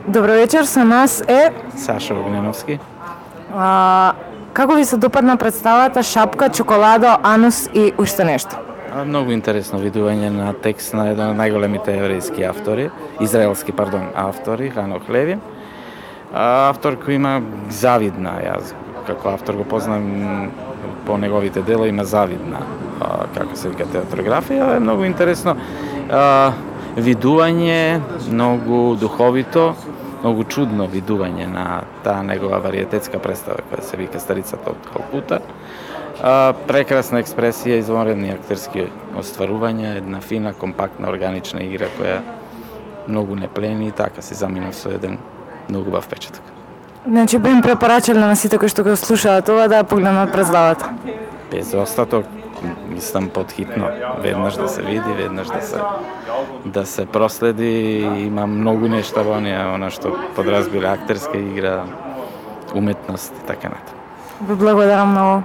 Добро вечер, со нас е Саша Огненовски. Како ви се допадна представата Шапка, чоколадо, анус и уште нешто? Многу интересно видување на текст на еден од најголемите еврејски израелски автори, Ханох Леви. Автор кој има завидна, јас како автор го познам по неговите дела, има завидна, како се вика, театрографија, е многу интересно видување, многу духовито, многу чудно видување на таа негова вариететска представа која се вика Старицата од Калкута. Прекрасна експресија, извонредни актерски остварувања, една фина, компактна, органична игра која многу не плени и така се замина со еден многу бав впечаток. Значи би им препорачале на сите кои што го слушаат ова да погледнат представата? Без остаток, мислам подхитно, веднаш да се види, веднаш да се проследи, има многу нешта во неа, она што подразбира актерска игра, уметност и така натаму. Ви благодарам многу.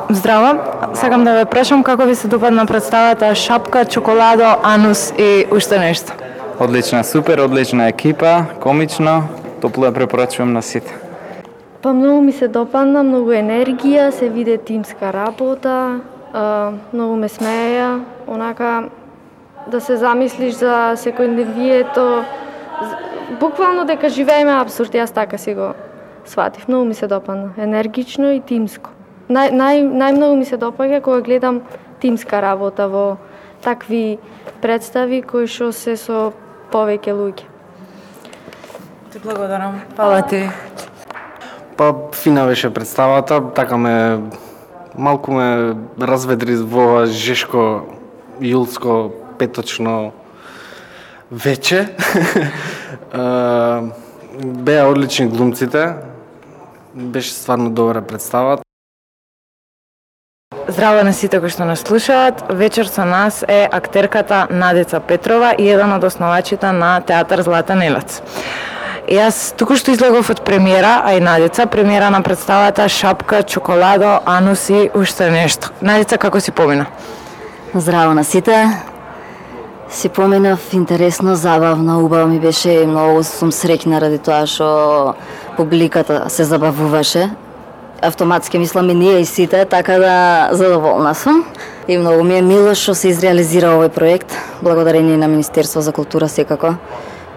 Здраво, сакам да ве прашам како ви се допадна представата Шапка, чоколадо, анус и уште нешто? Одлична, супер, одлична екипа, комично, топло ја препорачувам на сите. Па многу ми се допадна, многу енергија, се виде тимска работа, многу ме смеја, онака да се замислиш за секојдневието, буквално дека живееме абсурд, јас така си го сватив. Многу ми се допадна, енергично и тимско. Најмногу ми се допаѓа кога гледам тимска работа во такви представи кои што се со повеќе луѓе. Ти благодарам. Фала ти. Па фина беше представата, така малку ме разведри во ова жешко јулско петочно вече. Беа одлични глумците. Беше стварно добра представа. Здраво на сите кои што нас слушаат. Вечер со нас е актерката Надеца Петрова и еден од основачите на театар Златен елец. Јас току-што излегов од премиера, а и Надеца, премиера на представата Шапка, чоколадо, анус и уште нешто. Надеца, како си помина? Здраво на сите. Си поминав интересно, забавно, убаво ми беше и многу сум среќна ради тоа што публиката се забавуваше. Автоматски мислам и ние и сите, така да задоволна сум. И многу ми е мило што се изреализира овој проект, благодарение на Министерство за култура секако,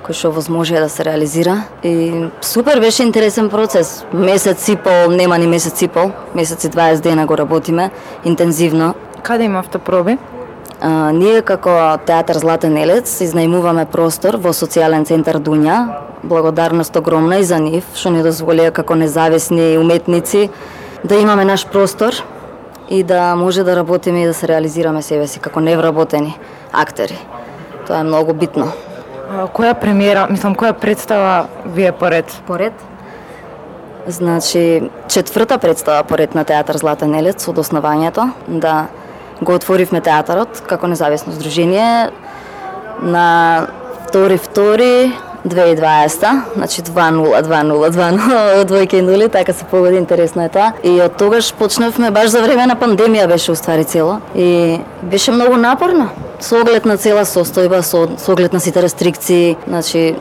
кој што возможи да се реализира. И супер беше интересен процес. Месец и пол, нема ни месец и пол, месец и 20 дена го работиме интензивно. Каде има автопроби? Ние како театар Златен елец изнајмуваме простор во социјален центар Дунја. Благодарност огромна и за нив, што ни дозволија како независни уметници да имаме наш простор и да може да работиме и да се реализираме себе си како невработени актери. Тоа е многу битно. Која премиера, која представа ви е поред? Поред? Значи, 4-та представа поред на театар Златен елец од основањето, да го отворивме театарот како независно здружение на 2.2.2020, значи 2.0, двојки и нули, така се погоди, интересно е тоа. И од тогаш почнавме, баш за време на пандемија беше уствари цело. И беше многу напорно, со оглед на цела состојба, со оглед на сите рестрикции, значи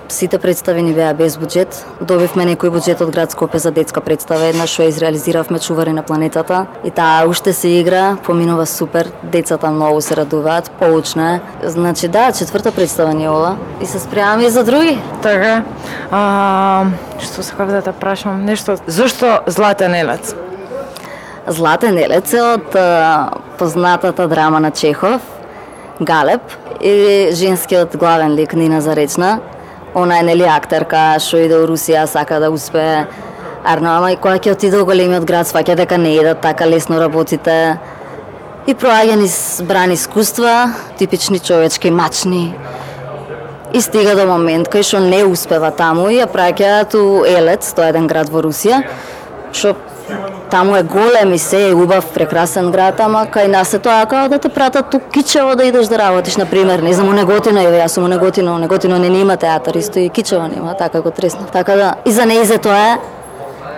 сите представи ни беа без буџет. Добивме некој буџет од град Скопје за детска представа, една што ја изреализиравме Чувари на планетата. И таа уште се игра, поминува супер, децата многу се радуваат, поучна е. Значи да, 4-та представа ни ова и се спремаме и за други. Така. Што сакав да те прашам, нешто, зошто Златен елец? Златен елец е од познатата драма на Чехов, Галеб, и женскиот главен лик Нина Заречна. Она е нели актерка што иде во Русија, сака да успее. Ама и кога ќе отиде во големиот град, сваќа дека не идат така лесно работите. И проаѓа низ брани искуства, типични човечки, мачни. И стига до момент кај што не успева таму и ја праќаат у Елец, тоа е еден град во Русија, што таму е голем и се е убав, прекрасен град, ама кај нас е тоа како да те пратат тук Кичево да идеш да работиш, например, не знам, у Неготино, јас сум у Неготино не има театар, исто и Кичево нема, така го треснав. Така да, и за неизе тоа е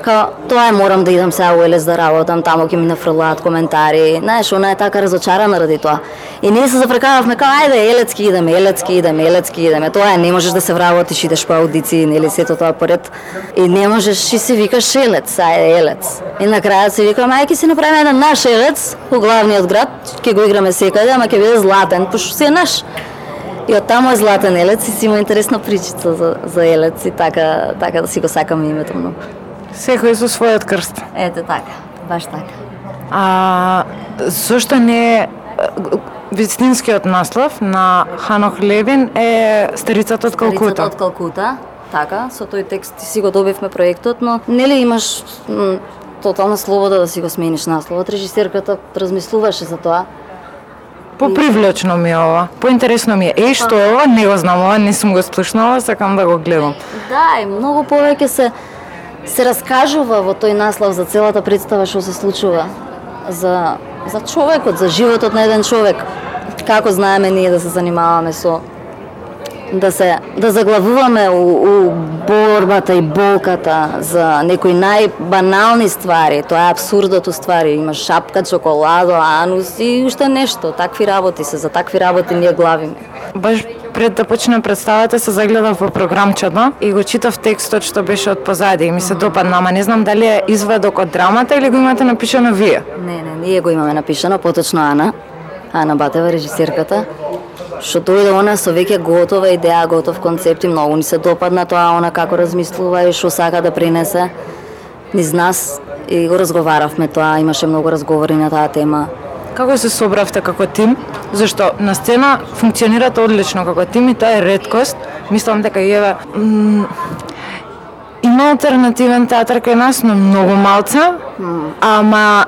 Као, тоа морам да идам сега у Елец да работам, таму ќе ми нафрлаат коментари. Знаеш, она е така разочарана ради тоа. И ние се запрекававме као, ајде, Елецки идеме. Тоа е, не можеш да се вработиш, идеш по аудиции, нели сето тоа поред. И не можеш и се викаш Елец, ајде Елец. И на крајот се викам, ајде ќе си направиме еден наш Елец у главниот град, ќе го играме секаде, ама ќе биде златен, пошто си е наш. И од таму е златен Елец и си има интересна причица за Елец и така да си го сакаме името многу. Секој со својот крст. Ете така, баш така. Зошто не е вистинскиот наслов на Ханох Левин е Старицата од Калкута? Старицата од Калкута, така, со тој текст си го добивме проектот, но нели имаш тотална слобода да си го смениш насловот. Режисерката размислуваше за тоа. Попривлечно ми е ова, поинтересно ми е. Што е ова? Не го знам ова, не сум го слушнала, сакам да го гледам. Да, и многу повеќе се раскажува во тој наслов за целата представа што се случува. За човекот, за животот на еден човек. Како знаеме ние да се занимаваме со да заглавуваме у борбата и болката за некои најбанални ствари. Тоа е абсурдот ствари. Имаш шапка, чоколадо, анус и уште нешто. Такви работи се, за такви работи ние главиме. Баш пред да почне представата се загледав во програмчето и го читав текстот што беше од позади и ми се допадна, ама не знам дали е извадок од драмата или го имате напишано вие. Не, ние го имаме напишано, поточно Ана Батева, режисерката, што дојде она со веќе готова идеја, готов концепт и многу ни се допадна тоа, она како размислува и што сака да принесе низ нас и го разговаравме тоа, имаше многу разговори на таа тема. Како се собравте како тим? Зашто на сцена функционирате одлично како тим и тоа е реткост. Мислам дека има алтернативен театар кај нас, но многу малца, ама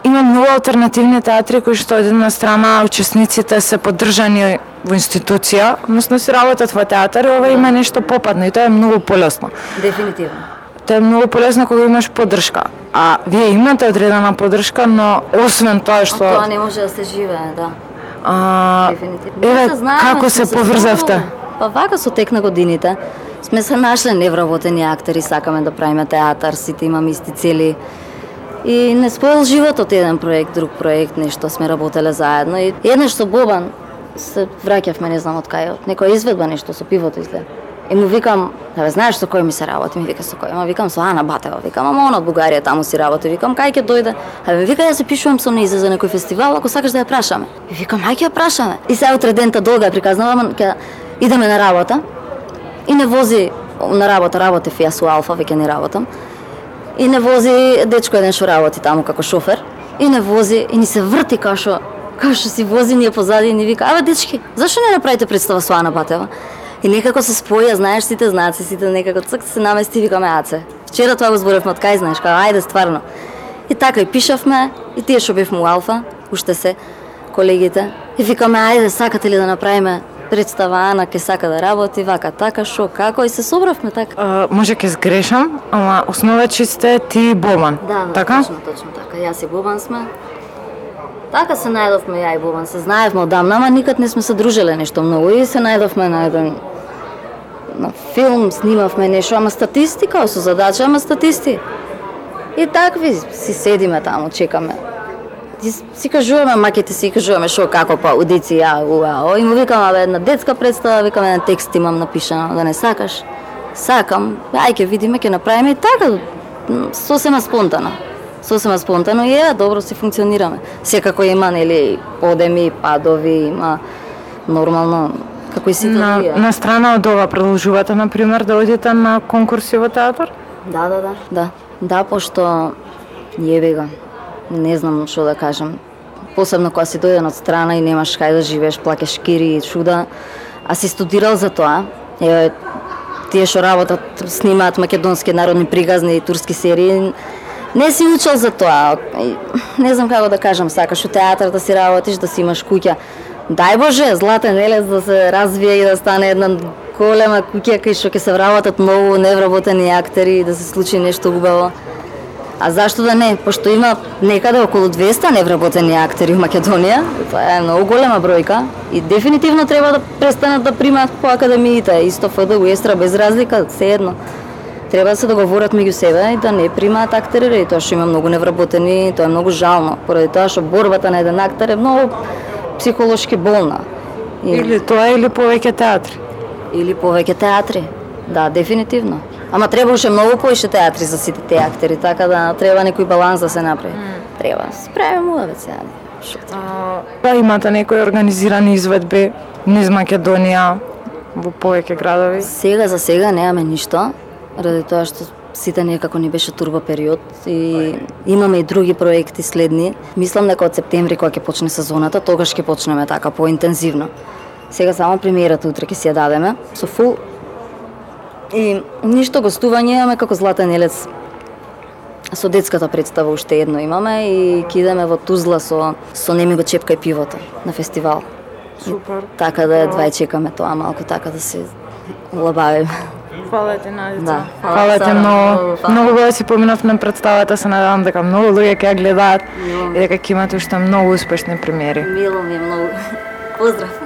има многу алтернативни театри кои што од една страна учесниците се поддржани во институција, односно си работат во театар и ова има нешто попадно и тоа е многу полесно. Дефинитивно. Тоа е многу полесно кога имаш поддршка. А вие имате одредена поддршка, но освен тоа што Тоа не може да се живее, да. Дефинитивно. Еве како се поврзавте? Па вака со тек на годините сме се нашле невработени актери, сакаме да правиме театар, сите имаме исти цели. И не споил животот еден проект, друг проект, нешто сме работеле заедно. И еднаш со Бобан се враќавме, не знам од кај, од некоја изведба нешто со пивото изгледа. И му викам, знаеш со кој ми се работи? Ми вика со кој? Ама викам со Ана Батева, викам, ама она од Бугарија таму си работи, викам кај ќе дојде? Вика ја се пишувам со нејзе за некој фестивал, ако сакаш да ја прашаме. И викам ај ќе ја прашаме. И сега утре дента долга ја приказнавам, ќе идеме на работа. И не вози на работев јас у Алфа, веќе не работам. И не вози дечко еден што работи таму како шофер. И не вози и ни се врти као што си вози ние позади и ни вика, абе дечки, зашто не направите представа со Ана Батева? И некако се споја, знаеш, сите знаци, сите некако цк се намести и викаме аце. Вчера тоа го зборевме од кај, знаеш, као ајде стварно. И така и пишавме, и тие што бевме у Алфа, уште се колегите. И викаме ајде, сакате ли да направиме представа, Ана ке сака да работи, вака така, шо, како, и се собравме така. Може ке сгрешам, ама основачи сте ти и Бобан, да, така? Точно така, јас и Бобан сме. Така се најдовме ја и Бобан, се знаевме одамна, ама никад не сме се дружеле нешто многу и се најдовме на еден филм, снимавме нешто, ама статистика, со задача, ама статисти. И такви си седиме таму, чекаме. Си кажуваме, макете си кажуваме шо, како па, аудиција, и му викам, абе, една детска представа, викам, еден текст имам напишано, да не сакаш? Сакам, ај ке видиме, ке направиме и така, сосема спонтано и добро си функционираме. Секако има, нели, подеми, падови, има нормално, како и сите други. На страна од ова продолжувате, например, да одите на конкурси во театар? Да, пошто јебега, не знам што да кажам. Посебно кога си дојден од страна и немаш кај да живееш, плакеш кири и чуда, а си студирал за тоа. Еве, тие што работат, снимаат македонски народни приказни и турски серии, не си учел за тоа. Не знам како да кажам, сакаш у театар да си работиш, да си имаш куќа. Дај Боже, Златен Елец да се развие и да стане една голема куќа кај што ќе се вработат многу невработени актери и да се случи нешто убаво. А зашто да не? Пошто има некаде околу 200 невработени актери в Македонија, тоа е многу голема бројка и дефинитивно треба да престанат да примаат по академиите, исто ФДУ, Естра, без разлика, се едно. Треба да се договорат меѓу себе и да не примаат актери, и тоа што има многу невработени, тоа е многу жално, поради тоа што борбата на еден актер е многу психолошки болна. Или тоа или повеќе театри. Или повеќе театри. Да, дефинитивно. Ама треба уште многу повеќе театри за сите тие актери, така да треба некој баланс да се направи. Треба. Справиме муаве сега. Да, имате некои организирани изведби низ Македонија во повеќе градови? Сега за сега немаме ништо, ради тоа што сите некако ни беше турбо период и имаме и други проекти следни. Мислам дека од септември кога ќе почне сезоната, тогаш ќе почнеме така поинтензивно. Сега само премиерата утре ќе си ја дадеме со фул и ништо гостување имаме како Златен елец. Со детската представа уште едно имаме и ќе идеме во Тузла со Неми го чепкај пивото на фестивал. Супер. Така да едва чекаме тоа малку така да се улабавиме. Фала ти, Надица. Да. Фала ти многу. Многу го си поминав на представата, се надевам дека многу луѓе ќе ја гледаат и дека ќе имате уште многу успешни премиери. Мило ми е многу. Поздрав.